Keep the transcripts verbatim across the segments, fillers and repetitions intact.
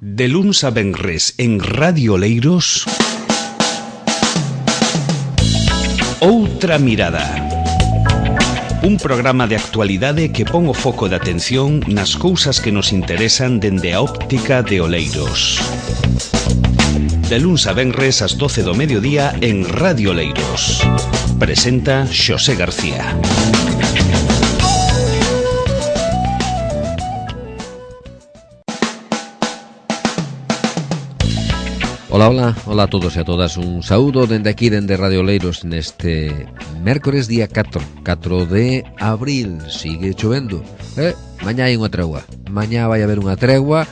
De luns a venres en Radio Oleiros, Outra Mirada. Un programa de actualidade que pon o foco de atención nas cousas que nos interesan dende a óptica de Oleiros. De luns a venres ás doce do mediodía en Radio Oleiros. Presenta Xosé García. Ola, ola, ola a todos e a todas. Un saúdo dende aquí, dende Radio Oleiros, neste mércores día catro, catro de abril. Sigue chovendo, eh? Mañá hai unha tregua. Mañá vai haber unha tregua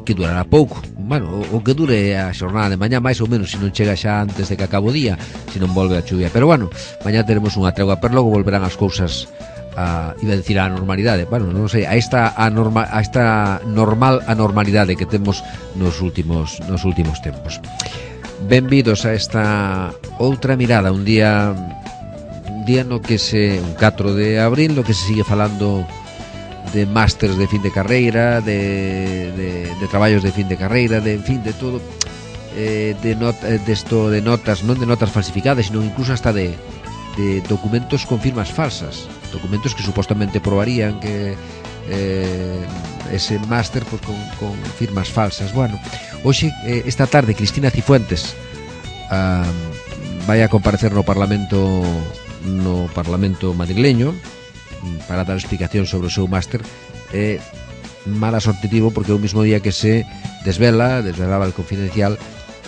que durará pouco. Bueno, o que dure a xornada de mañá, máis ou menos, se non chega xa antes de que acabo o día, se non volve a chuvia. Pero bueno, mañá teremos unha tregua, pero logo volverán as cousas a, iba a decir a normalidade, bueno, non sei, a esta anorma, a esta normal anormalidade que temos nos últimos nos últimos tempos. Benvidos a esta outra mirada, un día un día no que se un catro de abril, no que se sigue falando de másters de fin de carreira, de, de, de traballos de fin de carreira, de en fin, de todo, eh, de not, de esto de notas, non de notas falsificadas, sino incluso hasta de de documentos con firmas falsas, documentos que supostamente probarían que eh, ese máster pues, con, con firmas falsas. Bueno, hoxe, eh, esta tarde, Cristina Cifuentes uh, vai a comparecer no Parlamento no Parlamento madrileño para dar explicación sobre o seu máster. Eh, mala sorte tivo porque o mismo día que se desvela, desvelaba el Confidencial,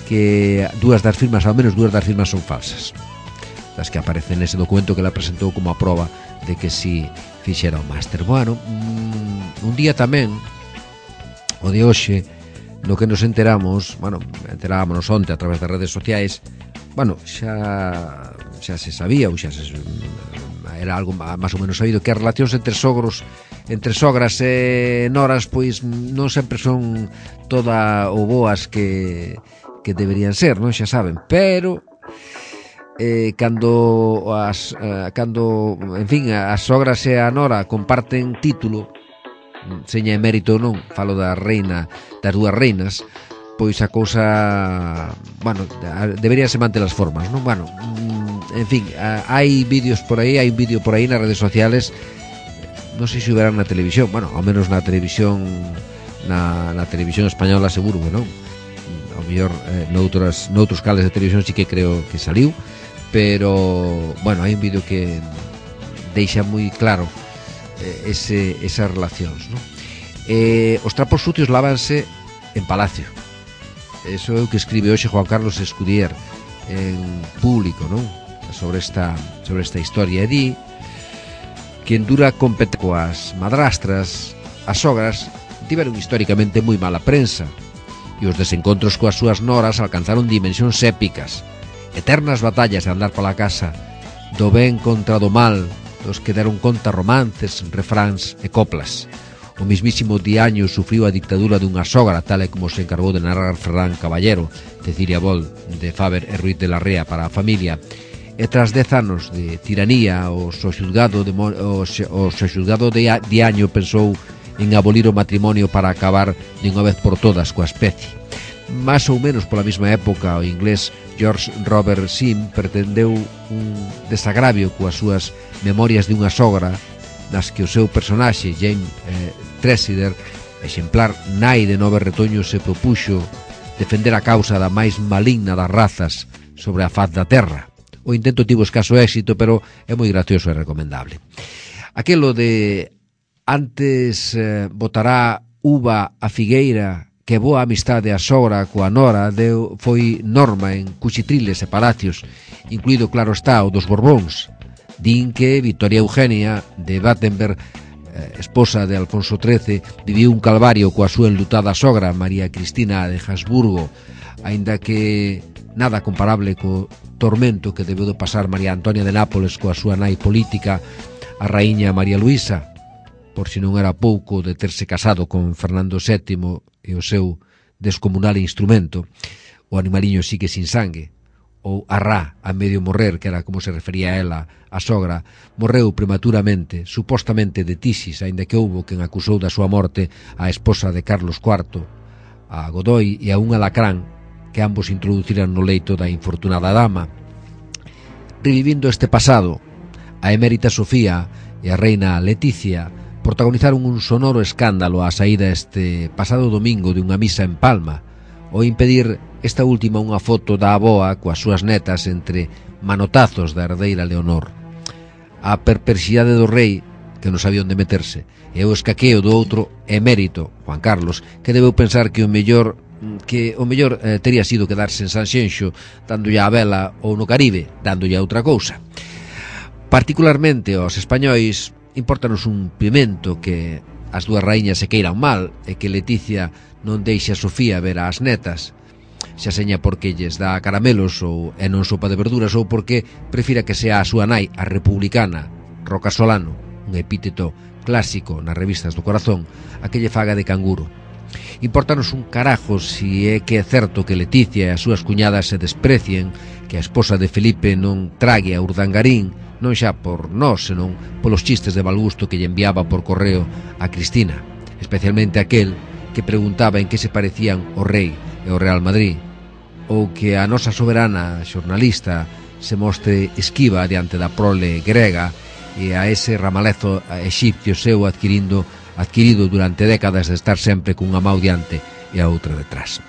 que dúas das firmas, ao menos dúas das firmas son falsas, das que aparecen nese documento que ela presentou como a proba de que si fixera o máster. Bueno, un día tamén, o de hoxe, no que nos enteramos, bueno, enterámonos onte a través das redes sociais, bueno, xa xa se sabía, ou xa se, era algo máis ou menos sabido, que as relacións entre sogros, entre sogras e noras, pois non sempre son toda o boas que, que deberían ser, non? Xa saben, pero Eh, cando as eh, cando, en fin, as sogras e a nora comparten título, seña emérito ou non, falo da reina, das dúas reinas, pois a cousa, bueno, deberíanse manter as formas, non? Bueno, en fin, hai vídeos por aí, hai un vídeo por aí nas redes sociales, non sei se verán na televisión, bueno, ao menos na televisión na, na televisión española seguro que non, ao mellor eh, noutros, noutros canales de televisión sí que creo que saliu, pero, bueno, hai un vídeo que deixa moi claro eh, ese, esas relacións, non? Eh, os trapos sucios lávanse en Palacio. Eso é o que escribe hoxe Juan Carlos Escudier en Público, non? Sobre esta, sobre esta historia. E di que en dura compete coas madrastras, as sogras tiveron históricamente moi mala prensa e os desencontros coas súas noras alcanzaron dimensións épicas. Eternas batallas de andar pola casa, do ben contra do mal, dos que deron conta romances, refráns e coplas. O mismísimo Diaño sufriu a dictadura dunha sogra, tal e como se encargou de narrar Ferran Caballero, Cecilia Bol, de Faber e Ruiz de la Rea para a familia. E tras dez anos de tiranía, o sexulgado de, o, o sexulgado de Diaño pensou en abolir o matrimonio para acabar de unha vez por todas coa especie. Más ou menos pola mesma época, o inglés George Robert Sim pretendeu un desagravio coas súas memorias de unha sogra, nas que o seu personaxe, James eh, Tressider, exemplar nai de nove retoños, se propuxo defender a causa da máis maligna das razas sobre a faz da terra. O intento tivo escaso éxito, pero é moi gracioso e recomendable. Aquelo de antes eh, botará uva a figueira que boa amistade a sogra coa nora deu, foi norma en cuchitriles e palacios, incluído, claro está, o dos Borbóns. Din que Victoria Eugenia de Battenberg, eh, esposa de Alfonso trece, viviu un calvario coa súa enlutada sogra María Cristina de Habsburgo, aínda que nada comparable co tormento que debeu de pasar María Antonia de Nápoles coa súa nai política, a raíña María Luisa, por si non era pouco de terse casado con Fernando sétimo e o seu descomunal instrumento, o animaliño sigue sin sangue, ou a Ra, a medio morrer, que era como se refería a ela, a sogra, morreu prematuramente, supostamente de tisis, aínda que houbo quen acusou da súa morte a esposa de Carlos cuarto, a Godoy e a un alacrán que ambos introduciran no leito da infortunada dama. Revivindo este pasado, a emérita Sofía e a reina Leticia protagonizaron un sonoro escándalo á saída este pasado domingo de unha misa en Palma, ao impedir esta última unha foto da avoa coas súas netas entre manotazos da herdeira Leonor. A perversidade do rei, que non sabía onde meterse, e o escaqueo do outro emérito, Juan Carlos, que debeu pensar que o mellor que o mellor eh, tería sido quedarse en Sanxenxo dándolle a vela ou no Caribe dándolle a outra cousa. Particularmente aos españois impórtanos un pimento que as dúas raíñas se queiran mal e que Leticia non deixe a Sofía ver ás netas, xa seña porque lles dá caramelos ou e non sopa de verduras ou porque prefira que sea a súa nai, a republicana Roca Solano, un epíteto clásico nas revistas do corazón, a que lle faga de canguro. Importanos un carajo si é que é certo que Leticia e as súas cuñadas se desprecien, que a esposa de Felipe non trague a Urdangarín, non xa por nós, senón polos chistes de mal gusto que lle enviaba por correo a Cristina, especialmente aquel que preguntaba en que se parecían o rei e o Real Madrid, ou que a nosa soberana xornalista se mostre esquiva diante da prole grega e a ese ramalezo exipcio seu adquirindo adquirido durante décadas de estar sempre cunha mão diante e a outra detrás.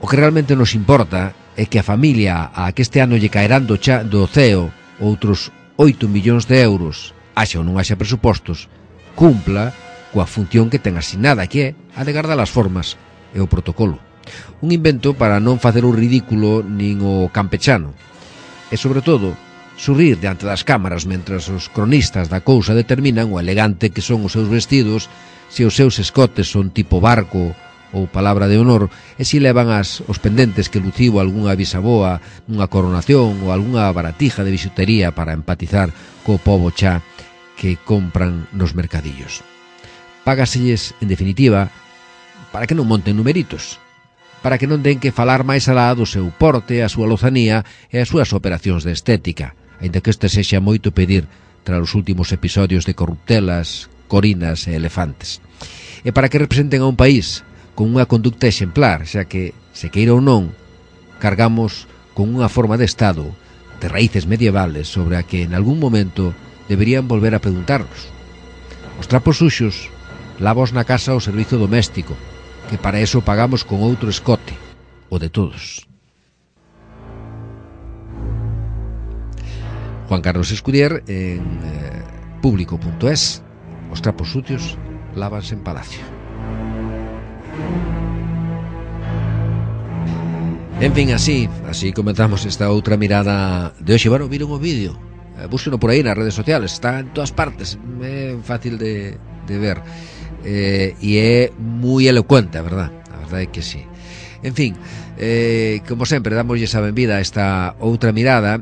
O que realmente nos importa é que a familia a que este ano lle caerán do, cha, do ceo outros oito millóns de euros, haxa ou non haxa presupostos, cumpla coa función que ten asignada, que é a de guardar as formas e o protocolo. Un invento para non facer o ridículo nin o campechano. E, sobre todo, sorrir diante das cámaras mentras os cronistas da cousa determinan o elegante que son os seus vestidos, se os seus escotes son tipo barco ou palabra de honor, e se levan as, os pendentes que luciu algunha bisaboa nunha coronación ou algunha baratija de bisutería para empatizar co pobo xa que compran nos mercadillos. Págaselles, en definitiva, para que non monten numeritos, para que non den que falar máis alá do seu porte, a súa lozanía e as súas operacións de estética, aínda que este sexa moito pedir tras os últimos episodios de corruptelas, corinas e elefantes. E para que representen a un país con unha conducta exemplar, xa que, se queira ou non, cargamos con unha forma de Estado de raíces medievales sobre a que en algún momento deberían volver a preguntarnos. Os trapos suxos lavos na casa ao servizo doméstico, que para eso pagamos con outro escote, o de todos. Juan Carlos Escudier en eh, público punto es. Os trapos sucios lávanse en Palacio. En fin, así, así comenzamos esta outra mirada de hoxe. Bueno, viron o vídeo, eh, búsqueno por aí nas redes sociales, está en todas partes, é fácil de, de ver, eh, e é moi elocuente, a verdad, a verdade é que sí. En fin, eh, como sempre, damoslle a benvida a esta outra mirada,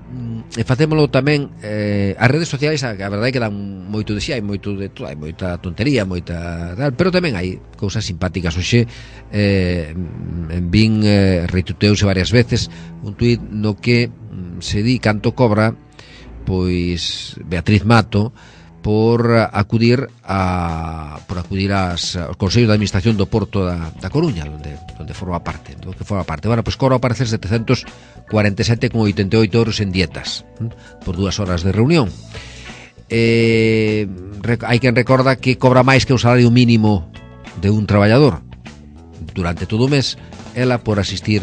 e facémolo tamén eh, as redes sociais, a, a verdade é que dan moito de si, hai moito de todo, hai moita tontería, moita tal, pero tamén hai cousas simpáticas. Hoxe eh, en vin eh, retuiteouse varias veces un tuit no que se di canto cobra pois Beatriz Mato por acudir a por acudir ás, aos consellos de administración do Porto da, da Coruña, onde, onde forma parte, do que forma parte. Bueno, pois cobra aparecer setecentos cuarenta e sete con oitenta e oito euros en dietas, ¿eh? Por dúas horas de reunión. Eh, hai quen recorda que cobra máis que o salario mínimo de un traballador durante todo o mes, ela por asistir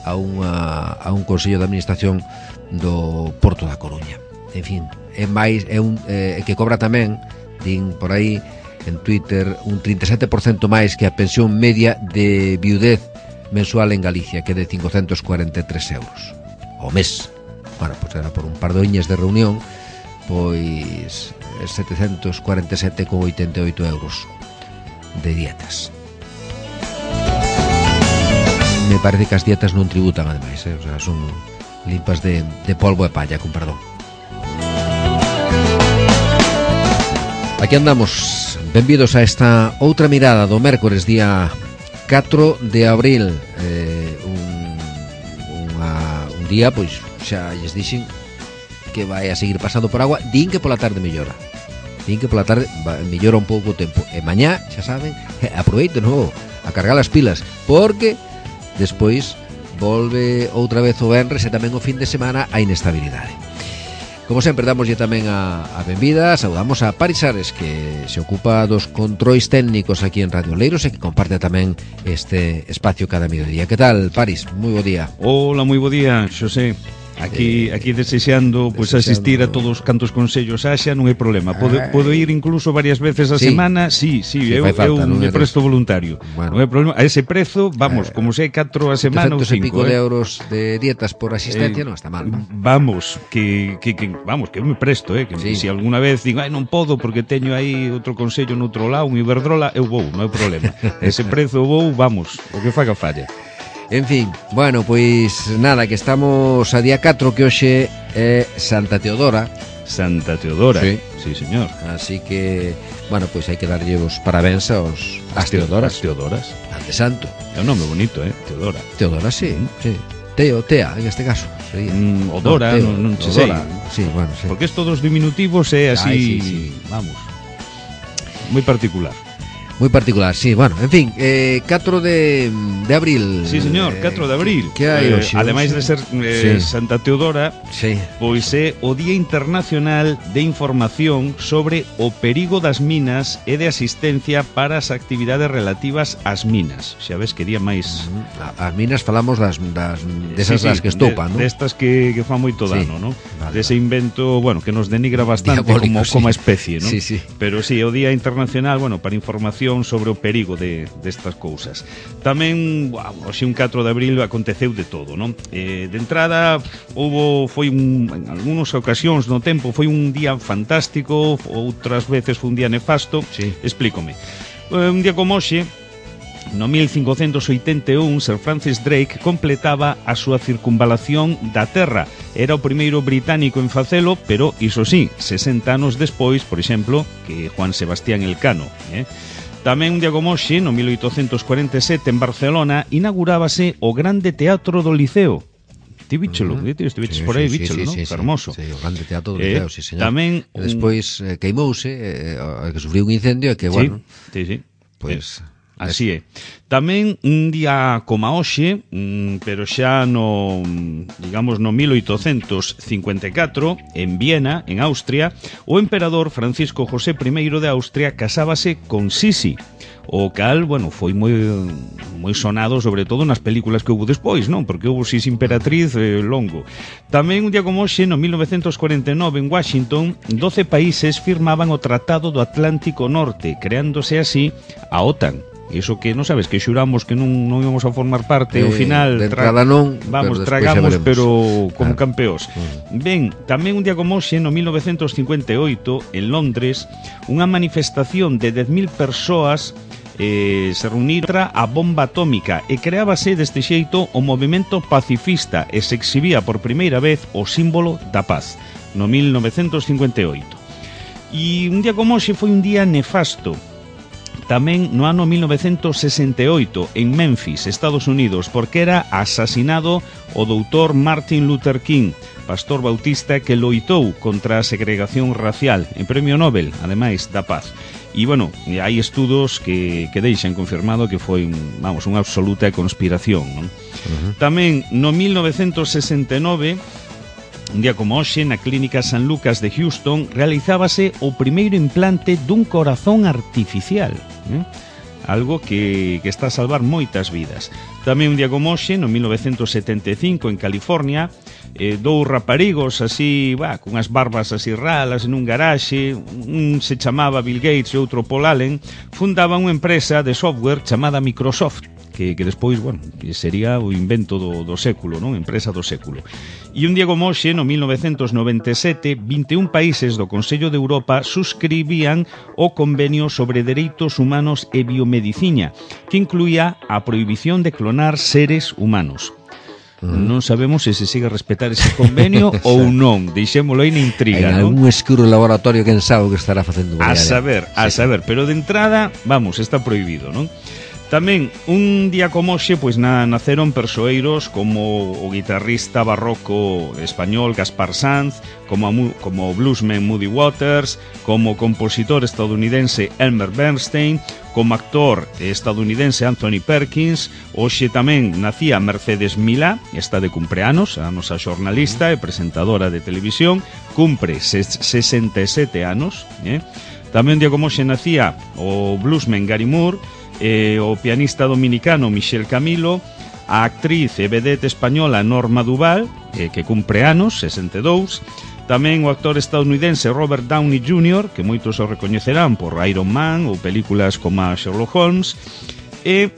a, unha, a un consello de administración do Porto da Coruña. En fin, é máis é un é que cobra tamén, din por aí en Twitter, un trinta e sete por cento máis que a pensión media de viudez mensual en Galicia, que é de cincocentos cuarenta e tres euros ao mes. Bueno, pois era por un par de oñas de reunión, pois setecentos cuarenta e sete con oitenta e oito euros de dietas. Me parece que as dietas non tributan, ademais, eh? O sea, son limpas de, de polvo e palla, con perdón. Aquí andamos, benvidos a esta outra mirada do mércores día catro de abril, eh, un, unha, un día, pois xa lles dixen que vai a seguir pasando por agua, din que pola tarde mellora, din que pola tarde va, mellora un pouco o tempo, e mañá, xa saben, aproveiten o, a cargar as pilas, porque despois volve outra vez o venres e tamén o fin de semana a inestabilidade. Como sempre, damoslle tamén a, a benvida, saudamos a Paris Ares, que se ocupa dos controis técnicos aquí en Radio Oleiros e que comparte tamén este espacio cada mediodía. Que tal, Paris? Moi bo día. Hola, moi bo día, Xosé. Aquí, eh, aquí desexando, pues, desexando asistir a todos cantos consellos haxa, non hai problema. Podo, podo ir incluso varias veces a sí. semana. Sí, sí, sí, eu, falta, eu me presto voluntario. Bueno. Non hai problema. A ese prezo, vamos, eh, como se hai catro a semana ou cinco, e pico eh. de euros de dietas por asistencia, eh, non está mal. Vamos, que, que, que vamos, que eu me presto, eh, que sí. Se alguna vez digo, ai, non podo porque teño aí outro consello noutro lado, un Iberdrola, eu vou, non hai problema. Ese prezo vou, vamos, o que faga falla. En fin, bueno, pois nada, que estamos a día catro, que hoxe é Santa Teodora. Santa Teodora, sí, sí señor. Así que, bueno, pois hai que darlle os parabéns aos as Teodoras. As Teodoras. Ante santo. É un nome bonito, eh, Teodora. Teodora, sí, sí. Teo, Tea, en este caso sería. Mm, o Dora, no, non, non sei. Sí, bueno, sí. Porque estos dos diminutivos é así, Ay, sí, sí. Vamos, moi particular. Moi particular, sí, bueno, en fin, eh, catro de abril. Sí, señor, catro de abril. Que hai eh, hoxe? Ademais de ser eh, sí. Santa Teodora, sí. Pois é o Día Internacional de Información sobre o perigo das minas e de asistencia para as actividades relativas ás minas. Xa ves que día máis... As minas falamos das, das desas sí, sí, das que estopan, de, non? Destas que, que fan moito dano, sí. non? Vale, Dese vale. invento, bueno, que nos denigra bastante diabólico, como, sí. como especie, non? Sí, sí. Pero sí, o Día Internacional, bueno, para información sobre o perigo de destas cousas. Tamén, wow, hoxe un catro de abril aconteceu de todo, non? Eh, de entrada, houbo, foi un, en algunhas ocasións no tempo, foi un día fantástico, outras veces foi un día nefasto. Sí. Explícome. Eh, un día como hoxe, no mil cincocentos oitenta e un, Sir Francis Drake completaba a súa circunvalación da Terra. Era o primeiro británico en facelo, pero, iso sí, sesenta anos despois, por exemplo, que Juan Sebastián Elcano, eh? Tamén un día como hoxe, no mil oitocentos cuarenta e sete, en Barcelona, inaugurábase o Grande Teatro do Liceo. Ti bichelo, uh -huh. ti estiveches sí, por aí, sí, bichelo, sí, non? Sí, Fermoso. Sí, o Grande Teatro do Liceo, eh, sí, señor. Tamén... E despois eh, queimouse, eh, que sufriu un incendio e que, bueno... Sí, sí, sí. Pois... Eh. Así é. Tamén un día como hoxe, pero xa no, digamos, no mil oitocentos cincuenta e catro, en Viena, en Austria, o emperador Francisco José I de Austria casábase con Sisi, o cal, bueno, foi moi moi sonado, sobre todo nas películas que houve despois, non? Porque houve Sisi Imperatriz eh, longo. Tamén un día como hoxe, no mil novecentos cuarenta e nove, en Washington, doce países firmaban o Tratado do Atlántico Norte, creándose así a OTAN. Iso que non sabes, que xuramos que non, non íbamos a formar parte, ao eh, final de entrada non, vamos, pero tragamos, pero como claro. campeóns. Mm. Ben, tamén un día como hoxe, no mil novecentos cincuenta e oito, en Londres, unha manifestación de dez mil persoas eh, se reuniron contra a bomba atómica e creábase deste xeito o movimento pacifista e se exhibía por primeira vez o símbolo da paz, no mil novecentos cincuenta e oito. E un día como hoxe foi un día nefasto, tamén no ano mil novecentos sesenta e oito, en Memphis, Estados Unidos, porque era asasinado o doutor Martin Luther King, pastor bautista que loitou contra a segregación racial, en Premio Nobel, ademais da paz. E, bueno, hai estudos que, que deixan confirmado que foi, vamos, unha absoluta conspiración, non? Uh-huh. Tamén, no mil novecentos sesenta e nove, un día como hoxe, na Clínica San Lucas de Houston, realizábase o primeiro implante dun corazón artificial, eh? Algo que, que está a salvar moitas vidas. Tamén un día como hoxe, no mil novecentos setenta e cinco, en California, eh, dous raparigos así, bah, con as barbas así ralas en un garaxe, un se chamaba Bill Gates e outro Paul Allen, fundaban unha empresa de software chamada Microsoft, que, que despois, bueno, que sería o invento do, do século, non? Empresa do século. E un día como hoxe, no mil novecentos noventa e sete, vinte e un países do Consello de Europa suscribían o Convenio sobre Dereitos Humanos e Biomedicina, que incluía a prohibición de clonar seres humanos. Uh-huh. Non sabemos se se sigue a respetar ese convenio ou non, deixémolo aí na intriga, en non? algún escuro laboratorio, quen sabe o que estará facendo. A saber, a sí. saber, pero de entrada, vamos, está prohibido, non? Tamén, un día como hoxe, pois na, naceron persoeiros como o guitarrista barroco español Gaspar Sanz, como, a, como o bluesman Muddy Waters, como o compositor estadounidense Elmer Bernstein, como actor estadounidense Anthony Perkins. Hoxe tamén nacía Mercedes Milá, está de cumpleanos, a nosa xornalista e presentadora de televisión, cumpre sesenta e sete anos. Eh? Tamén un día como hoxe nacía o bluesman Gary Moore, eh, o pianista dominicano Michel Camilo, a actriz e vedette española Norma Duval, eh, que cumpre anos, sesenta e dous, tamén o actor estadounidense Robert Downey júnior, que moitos o recoñecerán por Iron Man ou películas como Sherlock Holmes, e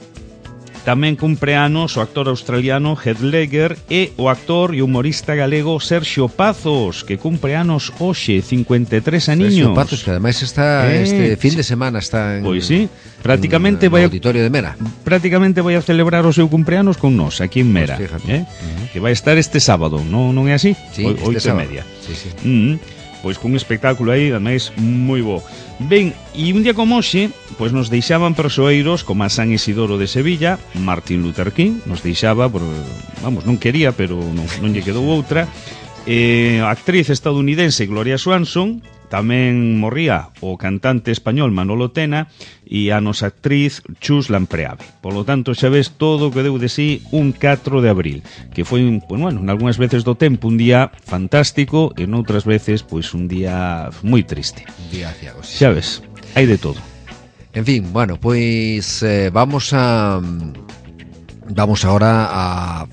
tamén cumpre anos o actor australiano Heath Ledger e o actor e humorista galego Sergio Pazos, que cumpre anos hoxe, cincuenta e tres aniños. Sergio Pazos, que ademais está eh, este fin de semana está en, pois sí, prácticamente en, en vai a, auditorio de Mera. Prácticamente vai a celebrar o seu cumpleanos con nós aquí en Mera, pues eh? uh-huh. Que vai estar este sábado, non non é así? Sí, o, este oito sábado. e media. Sí, sí. Uh-huh. Pois cun espectáculo aí, ademais, moi bo. Ben, e un día como hoxe, pois nos deixaban persoeiros como a San Isidoro de Sevilla, Martin Luther King, nos deixaba, por, vamos, non quería, pero non, non lle quedou outra. Eh, a actriz estadounidense Gloria Swanson, tamén morría o cantante español Manolo Tena e a nosa actriz Chus Lampreave. Por lo tanto, xa ves todo o que deu de sí un catro de abril, que foi, pues, bueno, en algunhas veces do tempo un día fantástico e en outras veces, pois, pues, un día moi triste. Un día ciago, sí. Xa ves, hai de todo. En fin, bueno, pois eh, vamos a vamos agora a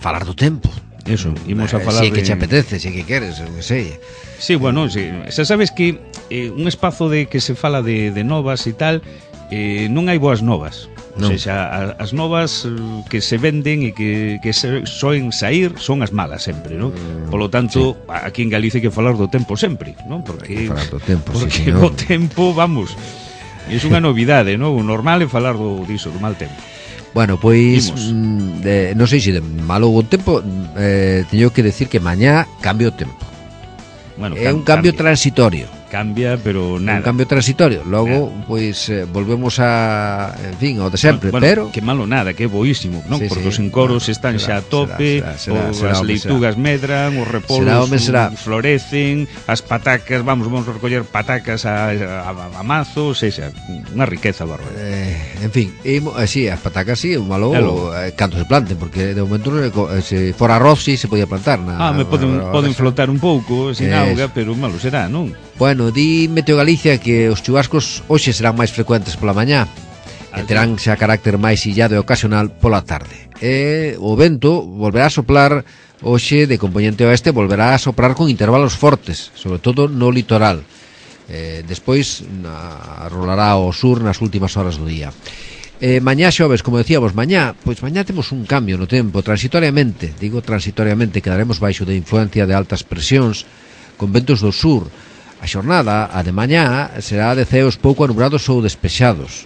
falar do tempo. Eso, imos a falar de... Si que de... che apetece, si que queres, eu que sei. Sí, bueno, sí. Xa sabes que eh, un espazo de que se fala de, de novas e tal, eh, non hai boas novas. Non. O sea, a, as novas que se venden e que, que se, soen sair son as malas sempre, non? Mm, Por lo tanto, sí. Aquí en Galicia hai que falar do tempo sempre, non? Porque, falar do tempo, porque sí, señor. O tempo, vamos, é unha novidade, non? O normal é falar do diso, do mal tempo. Bueno, pois mm, de, non sei se de malo o tempo, eh, teño que decir que mañá cambio o tempo. Bueno, é un cambio cambia. transitorio. Cambia, pero nada. Un cambio transitorio. Logo, nada. pois, eh, volvemos a, en fin, ao de sempre, bueno, pero... Que malo nada, que é boísimo, non? Sí, porque sí, os encoros bueno, están será, xa a tope, será, será, será, as será, leitugas será. medran, os repolos será, home, será. florecen, as patacas, vamos, vamos a recoller patacas a, a, a mazo, sexa, unha riqueza bárbara. Eh, en fin, e, eh, sí, as patacas sí, o malo eh, canto se planten, porque de momento eh, se fora arroz sí se podía plantar. Na, ah, me poden, na, poden flotar un pouco, sin eh, auga, pero malo será, non? Bueno, di Meteo Galicia que os chubascos hoxe serán máis frecuentes pola mañá e terán xa carácter máis illado e ocasional pola tarde. E o vento volverá a soplar hoxe de componente oeste, volverá a soprar con intervalos fortes, sobre todo no litoral. Eh, despois na, rolará ao sur nas últimas horas do día. Eh, mañá xoves, como decíamos, mañá, pois mañá temos un cambio no tempo, transitoriamente, digo transitoriamente, quedaremos baixo de influencia de altas presións con ventos do sur. A xornada, a de mañá, será de ceos pouco anubrados ou despexados.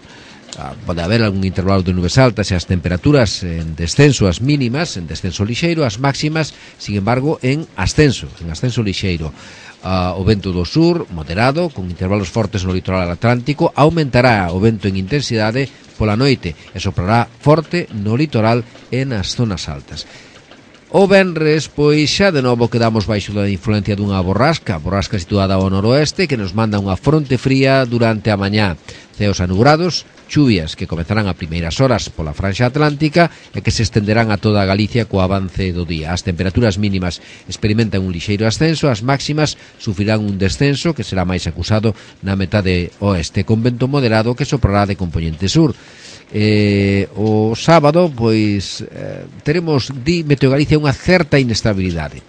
Ah, pode haber algún intervalo de nubes altas e as temperaturas en descenso, as mínimas, en descenso lixeiro, as máximas, sin embargo, en ascenso, en ascenso lixeiro. Ah, o vento do sur, moderado, con intervalos fortes no litoral atlántico, aumentará o vento en intensidade pola noite e soprará forte no litoral e nas zonas altas. O venres, pois xa de novo quedamos baixo da influencia dunha borrasca, borrasca situada ao noroeste que nos manda unha fronte fría durante a mañá. Ceos anubrados, chuvias que comezarán a primeiras horas pola franxa atlántica e que se estenderán a toda a Galicia co avance do día. As temperaturas mínimas experimentan un lixeiro ascenso, as máximas sufrirán un descenso que será máis acusado na metade oeste, con vento moderado que soprará de componente sur. Eh, o sábado pois eh, teremos, di Meteo Galicia, unha certa inestabilidade,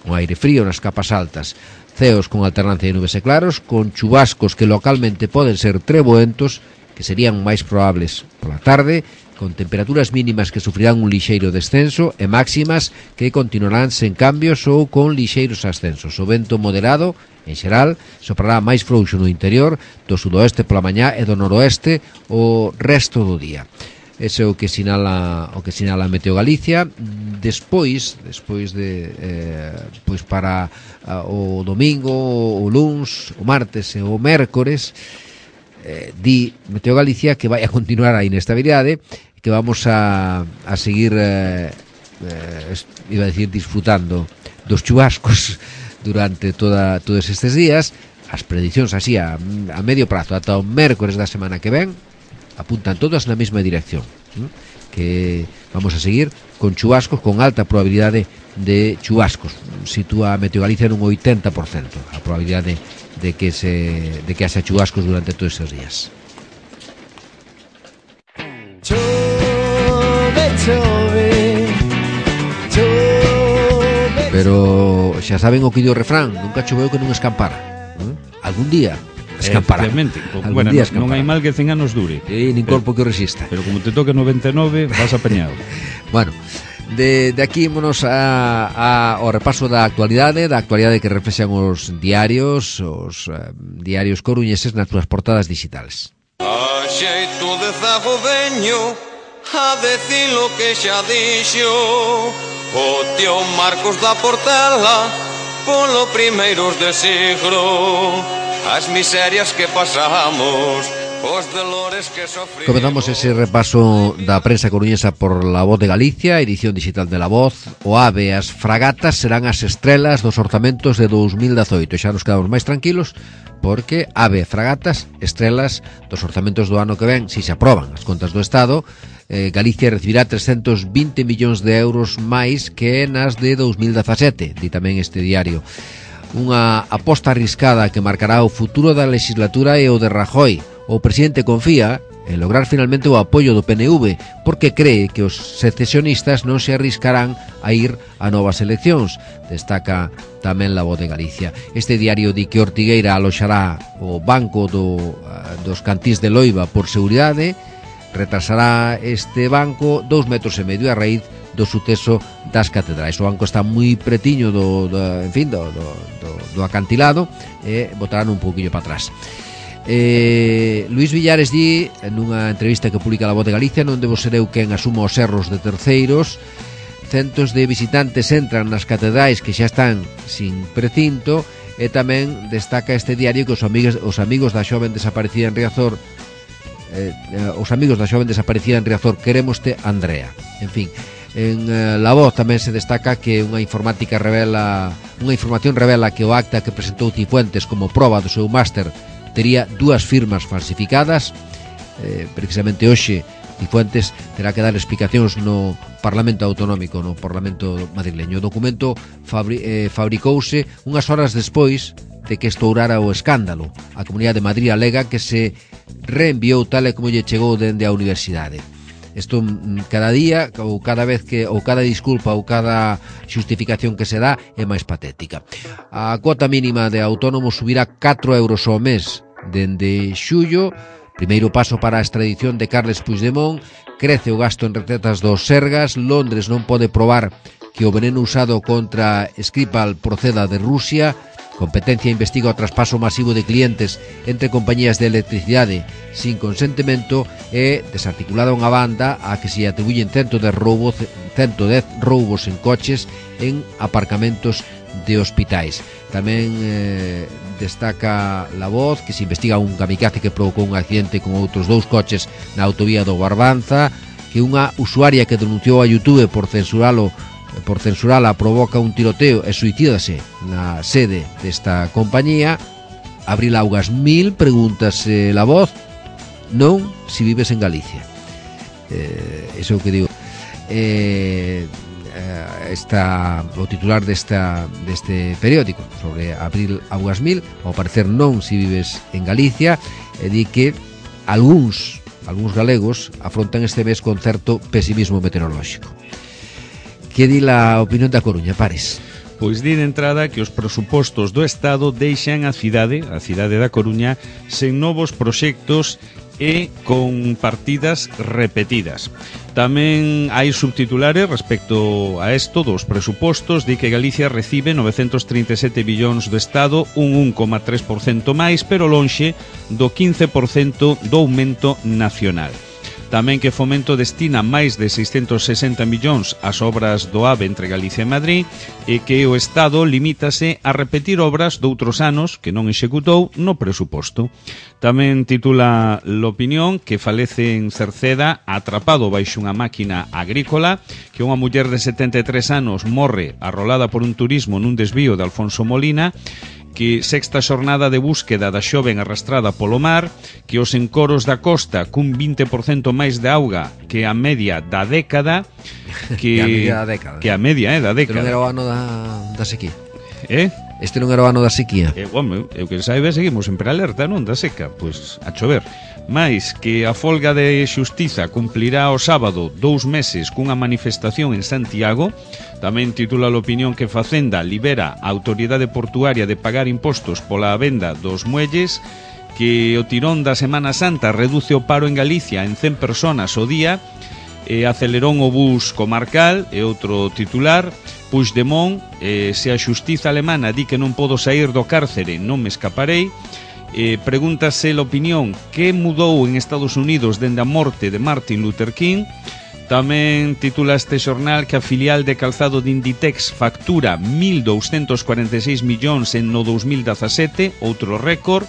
un aire frío nas capas altas, ceos con alternancia de nubes e claros, con chubascos que localmente poden ser treboentos, que serían máis probables pola tarde, con temperaturas mínimas que sufrirán un lixeiro descenso e máximas que continuarán sen cambios ou con lixeiros ascensos. O vento moderado, en xeral, soprará máis frouxo no interior, do sudoeste pola mañá e do noroeste o resto do día. Ese é o que sinala o que sinala Meteo Galicia. Despois, despois de eh, pois para uh, o domingo, o luns, o martes e o mércores, eh, di Meteo Galicia que vai a continuar a inestabilidade, que vamos a, a seguir eh, eh, iba a decir disfrutando dos chubascos durante toda, todos estes días. As predicións así a, a medio prazo ata o mércores da semana que ven apuntan todas na mesma dirección, ¿no? Que vamos a seguir con chubascos, con alta probabilidade de chubascos. Sitúa a Meteo Galicia nun oitenta por cento a probabilidade de que se de que haxa chubascos durante todos estes días. Chove, chove, chove. Pero xa saben o que di o refrán, nunca choveu que non escampara. Algún día escampará. Algún bueno, día escampará. Non hai mal que cen anos dure. E nin corpo que o resista. Pero como te toque noventa e nove, vas apañado. Bueno, de, de aquí monos a, a, ao repaso da actualidade, da actualidade que reflexan os diarios, os uh, diarios coruñeses nas súas portadas digitales. A xeito de zago veño a decir lo que xa dixo o tío Marcos da Portela polo primeiros de siglo, as miserias que pasamos, os dolores que sofrimos. Comenzamos ese repaso da prensa coruñesa por La Voz de Galicia, edición digital de La Voz. O AVE e as fragatas serán as estrelas dos orzamentos de dous mil dezoito. Xa nos quedamos máis tranquilos porque AVE e fragatas, estrelas dos orzamentos do ano que ven, si se aproban as contas do Estado. Eh, Galicia recibirá trescentos vinte millóns de euros máis que nas de dous mil dezasete, di tamén este diario. Unha aposta arriscada que marcará o futuro da legislatura e o de Rajoy. O presidente confía en lograr finalmente o apoio do P N V porque cree que os secesionistas non se arriscarán a ir a novas eleccións, destaca tamén La Voz de Galicia. Este diario di que Ortigueira aloxará o banco do, dos cantís de Loiva por seguridade, retrasará este banco dous metros e medio a raíz do suceso das catedrais. O banco está moi pretiño do, do en fin, do, do, do, do acantilado e botarán un pouquillo para atrás. Eh, Luís Villares di nunha entrevista que publica La Voz de Galicia: non debo ser eu quen asuma os erros de terceiros. Centos de visitantes entran nas catedrais que xa están sin precinto. E tamén destaca este diario que os amigos, os amigos da xoven desaparecida en Riazor Eh, os amigos da xoven desaparecida en Riazor, queremoste, Andrea. En fin, en eh, La Voz tamén se destaca que unha informática revela unha información revela que o acta que presentou Cifuentes como proba do seu máster tería dúas firmas falsificadas. Eh, precisamente hoxe Cifuentes terá que dar explicacións no Parlamento Autonómico, no Parlamento madrileño. O documento fabri, eh, fabricouse unhas horas despois de que estourara o escándalo. A Comunidade de Madrid alega que se reenviou tal e como lle chegou dende a universidade. Isto cada día ou cada vez que ou cada disculpa ou cada xustificación que se dá é máis patética. A cuota mínima de autónomos subirá catro euros ao mes dende xullo. Primeiro paso para a extradición de Carles Puigdemont. Crece o gasto en recetas dos Sergas. Londres non pode probar que o veneno usado contra Skripal proceda de Rusia. Competencia investiga o traspaso masivo de clientes entre compañías de electricidade sin consentimento e desarticulada unha banda a que se atribuyen ciento dez roubos, ciento dez roubos en coches en aparcamentos de hospitais. Tamén eh, destaca La Voz que se investiga un kamikaze que provocou un accidente con outros dous coches na autovía do Barbanza, que unha usuaria que denunciou a YouTube por censuralo por censurala provoca un tiroteo e suicídase na sede desta compañía. Abril Augas mil, pregúntase La Voz, non si vives en Galicia. Eh, iso que digo. Eh, está o titular desta, deste periódico sobre Abril Augas mil, ao parecer non si vives en Galicia, e di que algúns, algúns galegos afrontan este mes con certo pesimismo meteorolóxico. Que di a opinión da Coruña, Pares? Pois di de entrada que os presupostos do Estado deixan a cidade, a cidade da Coruña, sen novos proxectos e con partidas repetidas. Tamén hai subtitulares respecto a isto dos presupostos. Di que Galicia recibe novecentos trinta e sete billóns do Estado, un un coma tres por cento máis, pero lonxe do quince por cento do aumento nacional. Tamén que Fomento destina máis de seiscentos sesenta millóns ás obras do AVE entre Galicia e Madrid e que o Estado limítase a repetir obras doutros anos que non executou no presuposto. Tamén titula l'opinión que falece en Cerceda atrapado baixo unha máquina agrícola, que unha muller de setenta e tres anos morre arrolada por un turismo nun desvío de Alfonso Molina, que sexta xornada de búsqueda da xoven arrastrada polo mar, que os encoros da costa cun vinte por cento máis de auga que a media da década, que, que a media da década. Que a media, eh, da década. Este non era o ano da, da sequía. Eh? Este non era o ano da sequía. Eh, bueno, eu que saiba, seguimos sempre alerta, non? Da seca, pois a chover. Mais que a folga de xustiza cumplirá o sábado dous meses cunha manifestación en Santiago. Tamén titula l'opinión que Facenda libera a autoridade portuaria de pagar impostos pola venda dos muelles, que o tirón da Semana Santa reduce o paro en Galicia en cen personas o día, e acelerón o bus comarcal, e outro titular. Puigdemont, eh, se a xustiza alemana di que non podo sair do cárcere, non me escaparei. Eh, pregúntase l'opinión que mudou en Estados Unidos dende a morte de Martin Luther King. Tamén titula este xornal que a filial de calzado de Inditex factura mil douscentos cuarenta e seis millóns en no dous mil dezasete, outro récord.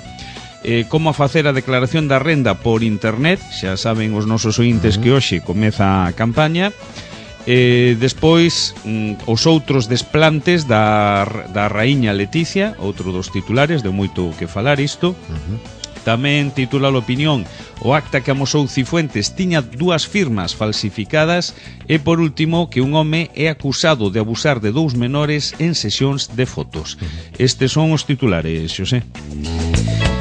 Eh, como a facer a declaración da renda por internet, xa saben os nosos ointes que hoxe comeza a campaña. Eh, despois, mm, os outros desplantes da, da raíña Leticia, outro dos titulares, deu moito que falar isto. Uh-huh. Tamén titula l'opinión o acta que amosou Cifuentes tiña dúas firmas falsificadas, e por último que un home é acusado de abusar de dous menores en sesións de fotos. Uh-huh. Estes son os titulares, Xosé.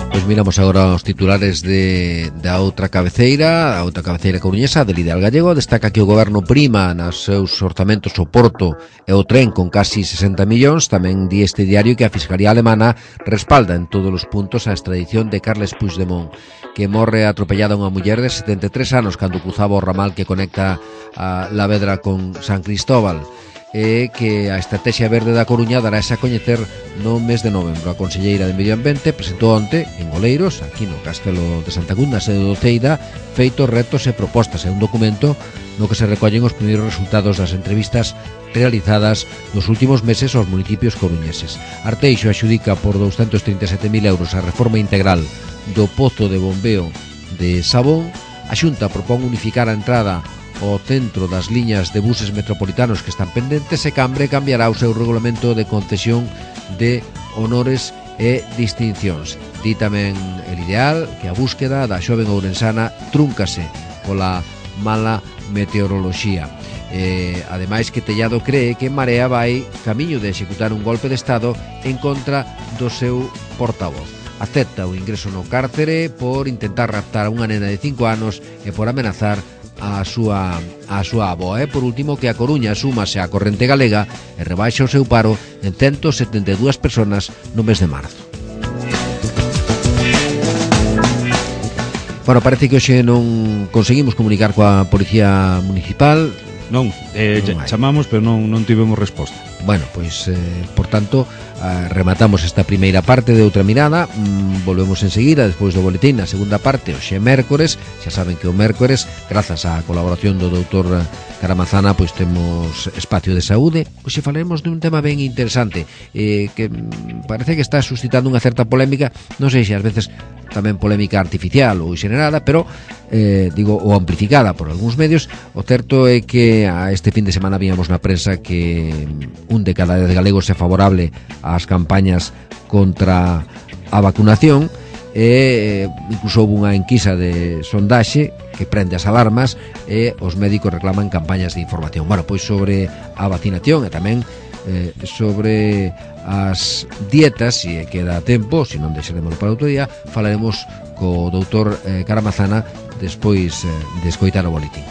Pois miramos agora os titulares de, da outra cabeceira, a outra cabeceira coruñesa, del Ideal Gallego. Destaca que o goberno prima nos seus orzamentos o Porto e o tren con casi sesenta millóns. Tamén di este diario que a Fiscalía Alemana respalda en todos os puntos a extradición de Carles Puigdemont, que morre atropellada unha muller de setenta e tres anos cando cruzaba o ramal que conecta a La Vedra con San Cristóbal, e que a Estrategia Verde da Coruña dará a coñecer no mes de novembro. A conselleira de Medio Ambiente presentou onte en Oleiros, aquí no Castelo de Santa Cunda, sede do Ceida, feitos, retos e propostas. É un documento no que se recollen os primeiros resultados das entrevistas realizadas nos últimos meses aos municipios coruñeses. Arteixo axudica por doscientos trinta e sete mil euros a reforma integral do pozo de bombeo de Sabón. A Xunta propón unificar a entrada o centro das liñas de buses metropolitanos que están pendentes, e Cambre cambiará o seu regulamento de concesión de honores e distincións. Di tamén el Ideal que a búsqueda da xoven ourensana trúncase pola mala meteoroloxía. Eh, ademais que Tellado cree que Marea vai camiño de executar un golpe de Estado en contra do seu portavoz. Acepta o ingreso no cárcere por intentar raptar a unha nena de cinco anos e por amenazar a súa a súa avoa. E por último que a Coruña súmase á corrente galega e rebaixa o seu paro en ciento setenta e dúas persoas no mes de marzo. Bueno, parece que hoxe non conseguimos comunicar coa Policía Municipal. Non, eh, non chamamos, pero non, non tivemos resposta. Bueno, pois, eh, por tanto, eh, rematamos esta primeira parte de Outra Mirada. mm, Volvemos enseguida, despois do boletín, na segunda parte, hoxe é mércores. Xa saben que o mércores, grazas á colaboración do doutor Caramazana, pois temos espacio de saúde. Hoxe falaremos dun tema ben interesante, eh, que mm, parece que está suscitando unha certa polémica. Non sei se ás veces tamén polémica artificial ou xenerada, pero eh, digo, ou amplificada por algúns medios. O certo é que a este fin de semana víamos na prensa que un de cada dez galegos é favorable ás campañas contra a vacunación, e incluso houve unha enquisa de sondaxe que prende as alarmas, e os médicos reclaman campañas de información. Bueno, pois sobre a vacinación e tamén eh, sobre as dietas, se queda tempo, se non deixaremos para outro día, falaremos co doutor eh, Caramazana despois eh, de escoitar o boletín.